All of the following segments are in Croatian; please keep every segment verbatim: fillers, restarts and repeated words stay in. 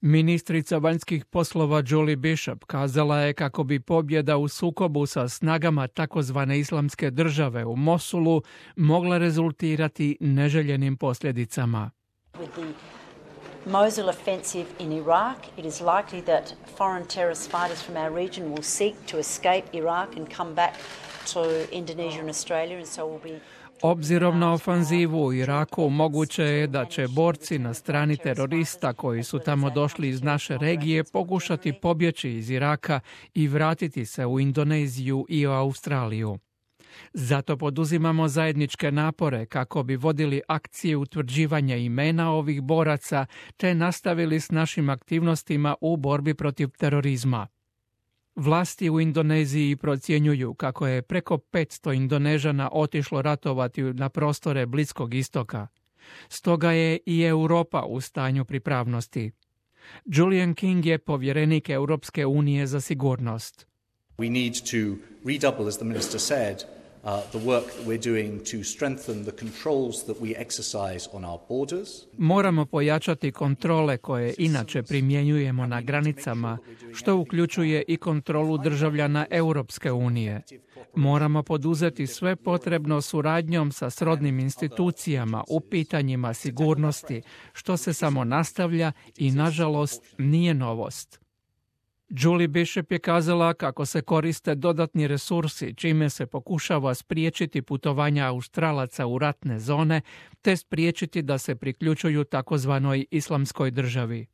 Ministrica vanjskih poslova Julie Bishop kazala je kako bi pobjeda u sukobu sa snagama takozvane islamske države u Mosulu mogla rezultirati neželjenim posljedicama. Mosul offensive in Iraq, it is likely that foreign terrorist fighters from our region will seek to escape Iraq and come back to Indonesia and Australia, and so will be. Obzirom na ofanzivu u Iraku, moguće je da će borci na strani terorista koji su tamo došli iz naše regije pokušati pobjeći iz Iraka i vratiti se u Indoneziju i u Australiju. Zato poduzimamo zajedničke napore kako bi vodili akcije utvrđivanja imena ovih boraca te nastavili s našim aktivnostima u borbi protiv terorizma. Vlasti u Indoneziji procjenjuju kako je preko petsto Indonežana otišlo ratovati na prostore Bliskog istoka. Stoga je i Europa u stanju pripravnosti. Julian King je povjerenik Europske unije za sigurnost. We need to redouble, as the minister said, Uh, the work that we're doing to strengthen the controls that we exercise on our borders. Moramo pojačati kontrole koje inače primjenjujemo na granicama, što uključuje i kontrolu državljana Europske unije. Moramo poduzeti sve potrebno suradnjom sa srodnim institucijama u pitanjima sigurnosti, što se samo nastavlja i, nažalost, nije novost. Julie Bishop je kazala kako se koriste dodatni resursi, čime se pokušava spriječiti putovanja Australaca u ratne zone, te spriječiti da se priključuju takozvanoj islamskoj državi.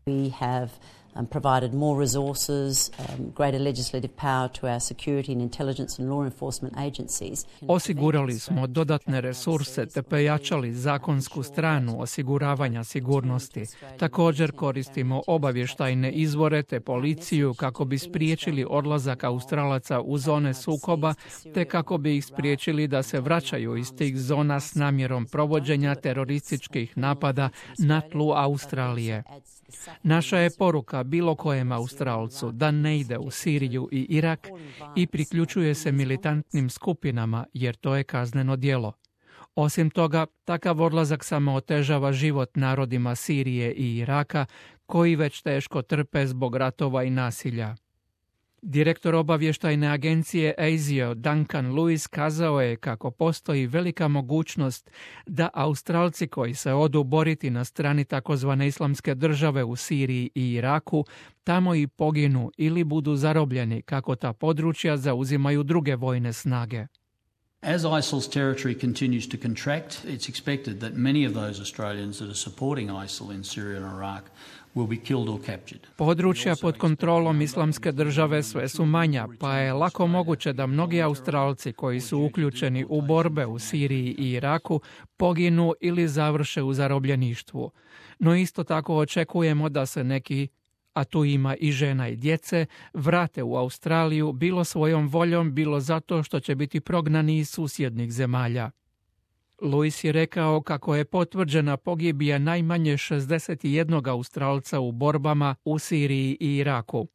We have um, provided more resources, um, greater legislative power to our security and intelligence and law enforcement agencies. Osigurali smo dodatne resurse te pojačali zakonsku stranu osiguravanja sigurnosti. Također koristimo obavještajne izvore te policiju kako bi spriječili odlazak Australaca u zone sukoba te kako bi ih spriječili da se vraćaju iz tih zona s namjerom provođenja terorističkih napada na tlu Australije. Naša je poruka bilo kojem Australcu da ne ide u Siriju i Irak i priključuje se militantnim skupinama jer to je kazneno djelo. Osim toga, takav odlazak samo otežava život narodima Sirije i Iraka koji već teško trpe zbog ratova i nasilja. Direktor obavještajne agencije A S I O Duncan Lewis kazao je kako postoji velika mogućnost da Australci koji se odu boriti na strani takozvane islamske države u Siriji i Iraku tamo i poginu ili budu zarobljeni kako ta područja zauzimaju druge vojne snage. As ISIL's territory continues to contract, it's expected that many of those Australians that are supporting ISIL in Syria and Iraq will be killed or captured. Područja pod kontrolom islamske države sve su manja, pa je lako moguće da mnogi Australci koji su uključeni u borbe u Siriji i Iraku poginu ili završe u zarobljeništvu. No isto tako očekujemo da se neki, a tu ima i žena i djece, vrate u Australiju bilo svojom voljom, bilo zato što će biti prognani iz susjednih zemalja. Lewis je rekao kako je potvrđena pogibija najmanje šezdeset jedan Australca u borbama u Siriji i Iraku.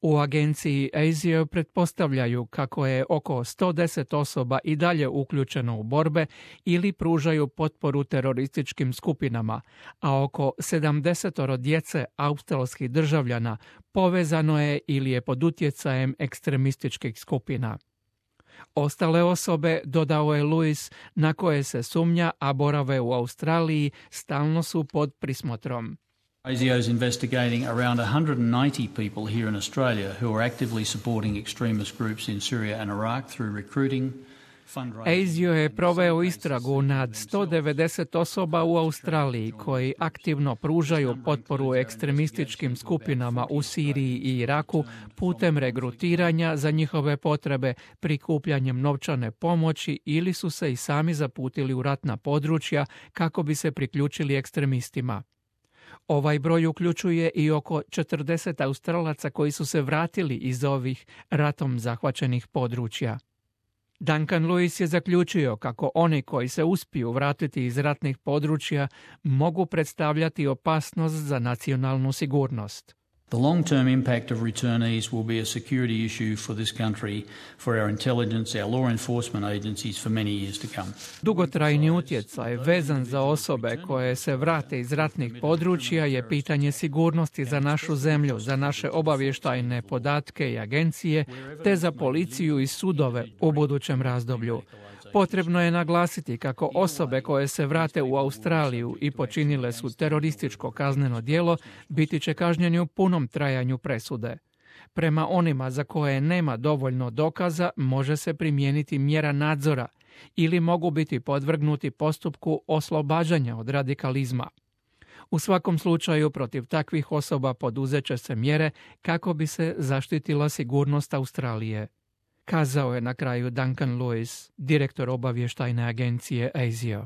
U agenciji A S I O pretpostavljaju kako je oko sto deset osoba i dalje uključeno u borbe ili pružaju potporu terorističkim skupinama, a oko sedamdeset djece australskih državljana povezano je ili je pod utjecajem ekstremističkih skupina. Ostale osobe, dodao je Lewis, na koje se sumnja, a borave u Australiji, stalno su pod prismotrom. A S I O is investigating around one hundred ninety people here in Australia who are actively supporting extremist groups in Syria and Iraq through recruiting, A S I O je proveo istragu nad sto devedeset osoba u Australiji koji aktivno pružaju potporu ekstremističkim skupinama u Siriji i Iraku putem regrutiranja za njihove potrebe, prikupljanjem novčane pomoći ili su se i sami zaputili u ratna područja kako bi se priključili ekstremistima. Ovaj broj uključuje i oko četrdeset Australaca koji su se vratili iz ovih ratom zahvaćenih područja. Duncan Lewis je zaključio kako oni koji se uspiju vratiti iz ratnih područja mogu predstavljati opasnost za nacionalnu sigurnost. The long-term impact of returnees will be a security issue for this country, for our intelligence, our law enforcement agencies for many years to come. Dugotrajni utjecaj vezan za osobe koje se vrate iz ratnih područja je pitanje sigurnosti za našu zemlju, za naše obavještajne podatke i agencije, te za policiju i sudove u budućem razdoblju. Potrebno je naglasiti kako osobe koje se vrate u Australiju i počinile su terorističko kazneno djelo biti će kažnjeni u punom trajanju presude. Prema onima za koje nema dovoljno dokaza može se primijeniti mjera nadzora ili mogu biti podvrgnuti postupku oslobađanja od radikalizma. U svakom slučaju protiv takvih osoba poduzet će se mjere kako bi se zaštitila sigurnost Australije, kazao je na kraju Duncan Lewis, direktor obavještajne agencije A S I O.